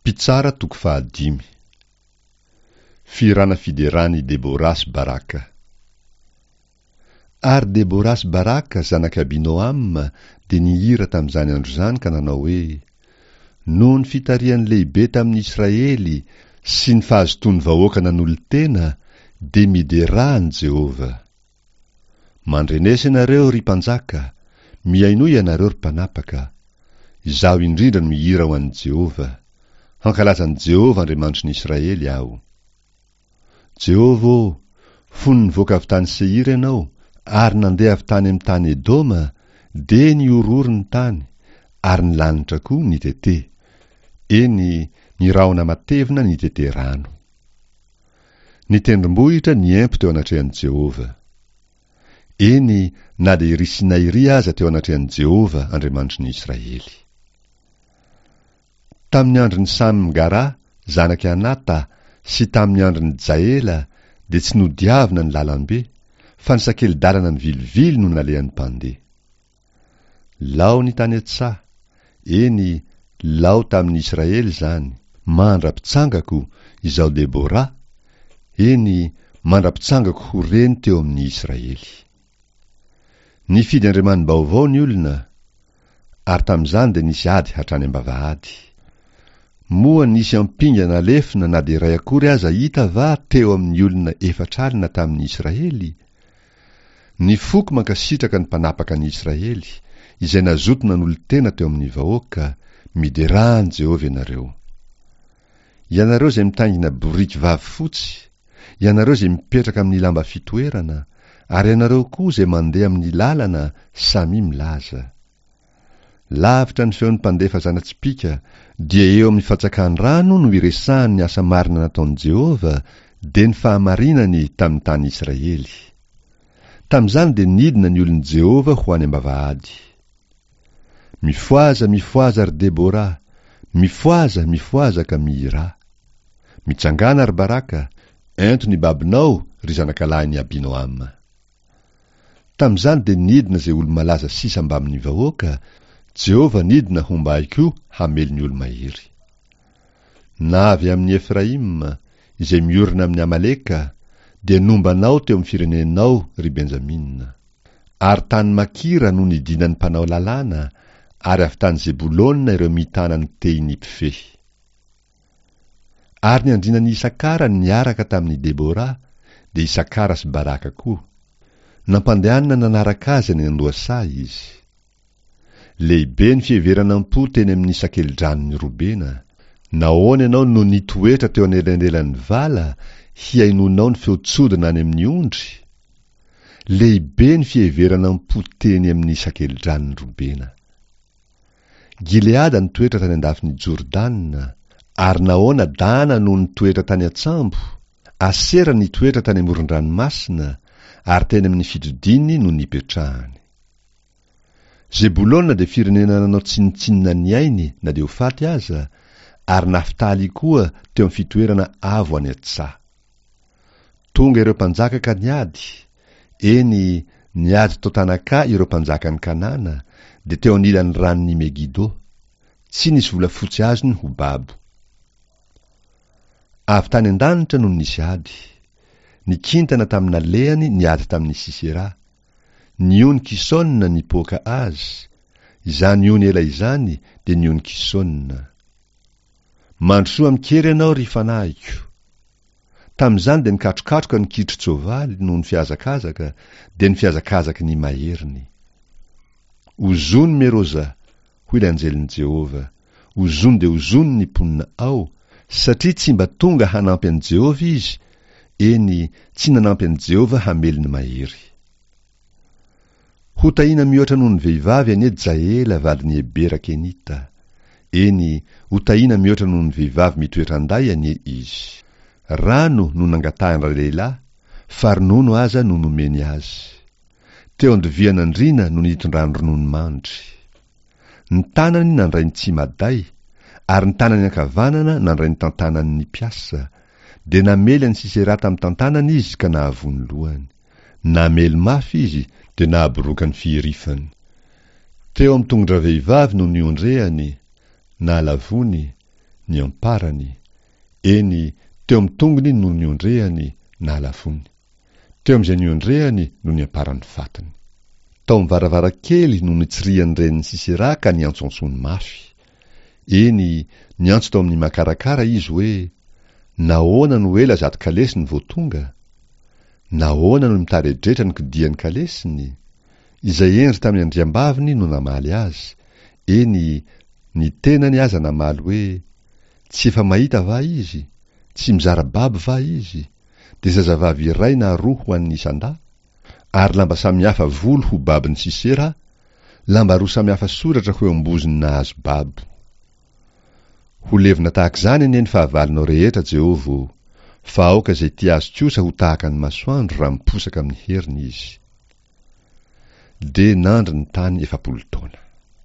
Mpitsara toko fahadimy. Fihirana fideran'i Debora sy Baraka. Ary Debora sy Baraka zanak'i Abinoama dia nihira tamin'izany andro izany ka nanao hoe, Noho ny fitarihan'ny lehibe tamin'ny Israely sy ny fahazotoan'ny vahoaka nanolo-tena, dia miderà an'i Jehovah. Mandrenesa ianareo, ry mpanjaka, mihainoa ianareo, ry mpanapaka. Izaho indrindra no mihira ho an'i Jehovah. Hankalaza an'i Jehovah Andriamanitry ny Israely aho. Jehovah ô, fony nivoaka avy tany Seira ianao, ary nandeha avy tany amin'ny tany Edoma, dia nihorohoro ny tany, ary ny lanitra koa nitete. Eny, ny rahona matevina nitete rano. Ny tendrombohitra niempo teo anatrehan'i Jehovah. Eny, na dia iry Sinay iry aza teo anatrehan'i Jehovah, Andriamanitry ny Israely. Tamin'ny andron'i Samgara, zanak'i Anata, sy tamin'ny andron'i Jaela, dia tsy nodiavina ny lalambe, fa ny sakeli-dalana nivilivily no nalehan'ny mpandeha. Lao ny tany an-tsaha, eny, lao tamin'ny Israely izany, mandra-pitsangako, izaho Debora, eny, mandra-pitsangako ho reny teo amin'ny Israely. Nifidy andriamani-baovao ny olona, ary tamin'izany dia nisy ady hatrany am-bavahady. Moa nisy ampinga na lefona na dia iray akory aza hita va teo amin'ny olona 40 tamin'ny Israely? Ny foko mankasitraka ny mpanapaka ny Israely, izay nazoto nanolo-tena teo amin'ny vahoaka, Miderà an'i Jehovah ianareo. Ianareo izay mitaingina boriky vavy fotsy, ianareo izay mipetraka amin'ny lamba fitoerana, ary ianareo koa izay mandeha amin'ny lalana, samia milaza. Lavitra ny feon'ny mpandefa zana-tsipìka, dia eo amin'ny fatsakan-drano no iresahany ny asa marina nataon'i Jehovah, dia ny fahamarinany tamin'ny tany Israely. Tamin'izany dia nidina ny olon'i Jehovah ho any am-bavahady. Mifohaza, mifohaza, ry Debora! Mifohaza, mifohaza ka mihirà! Mitsangàna, ry Baraka! Ento ny babonao, ry zanakalahin'i Abinoama! Tamin'izany dia nidina izay olo-malaza sisa mbamin'ny vahoaka, Jehovah nidina homba ahy koa hamely ny olo-mahery. Na avy amin'i Efraima, izay miorina amin'i Amaleka, dia nomba anao teo amin'ny firenenao, ry Benjamina. Ary tany Makira no nidinan'ny mpanao lalàna, ary avy tany Zebolona ireo mitana ny tehin'ny mpifehy. Ary ny andrianan'i Isakara niaraka tamin'i Debora, dia Isakara sy Baraka koa. Nampandehanina nanaraka azy any an-dohasaha izy. Lehibe ny fiheverana am-po teny amin'ny sakelidranon'i Robena. Nahoana ianao no nitoetra teo anelanelan'ny vala, hihainoanao ny feon-tsodina any amin'ny ondry? Lehibe ny fiheverana am-po teny amin'ny sakelidranon'i Robena. Gileada nitoetra tany an-dafin'i Jordana, ary nahoana Dana no nitoetra tany an-tsambo? Asera nitoetra tany amoron-dranomasina, ary teny amin'ny fitodiany no nipetrahany. Zebolona dia firenena nanao tsinontsinona ny ainy na dia ho faty aza, ary Naftaly koa teo amin'ny fitoerana avo any an-tsaha. Tonga ireo mpanjaka ka niady, eny, niady tao Tanakà ireo mpanjakan'i Kanana, dia teo anilan'ny ranon'i Megido. Tsy nisy volafotsy azony ho babo. Avy tany an-danitra no nisy ady. Ny kintana tamin'ny nalehany niady tamin'i Sisera. Ny ony Kisona nipoaka azy, izany ony ela izany dia ny ony Kisona. Mandrosoa amin-kery ianao, ry fanahiko. Tamin'izany dia nikatrokatroka ny kitron-tsoavaly noho ny fihazakazaka, dia ny fihazakazaky ny maheriny. Ozony Meroza, hoy ilay anjelin'i Jehovah, ozony dia ozony ny mponina ao, satria tsy mba tonga hanampy an'i Jehovah izy, eny, tsy nanampy an'i Jehovah hamely ny mahery. Hotahina mihoatra noho ny vehivavy anie Jaela vadin'i Hebera Kenita. Eny, hotahina mihoatra noho ny vehivavy mitoetra an-day anie izy. Rano no nangatahan-dralehilahy, fa ronono aza no nomeny azy. Teo an-dovian'andriana no nitondrany ronono mandry. Ny tanany nandray ny tsimaday, ary ny tanany ankavanana nandray ny tantanan'ny mpiasa, dia namely an'i Sisera tamin'ny tantanany izy ka nahavoa ny lohany. Namely mafy izy dia nahaboroaka ny fihirifany. Teo amin'ny tongon-dravehivavy no niondrehany, nahalavoany, niamparany, eny, teo amin'ny tongony no niondrehany, nahalavoany. Teo amin'izay niondrehany no niamparan'ny fatiny. Tao amin'ny varavarankely no nitsirihan'ny renin'i Sisera ka niantsoantsoany mafy. Eny, niantso tao amin'ny makarakara izy hoe, Nahoana no ela zato kalesiny vao tonga? Nahoana no mitaredretra ny kodian'ny kalesiny? Izay hendry tamin'ny andriambaviny no namaly azy, eny, ny tenany aza namaly hoe, Tsy efa mahita va izy? Tsy mizara babo va izy? Dia zazavavy iray na roa ho an'ny isan-dahy? Ary lamba samihafa volo ho babon'i Sisera, lamba roa samihafa soratra ho eo am-bozon'ny nahazo babo. Ho levona tahaka izany anie ny fahavalonao rehetra, Jehovah ô! Fa aoka izay tia azy kosa ho tahaka ny masoandro raha miposaka amin'ny heriny izy. Dia nandry ny tany 40 taona.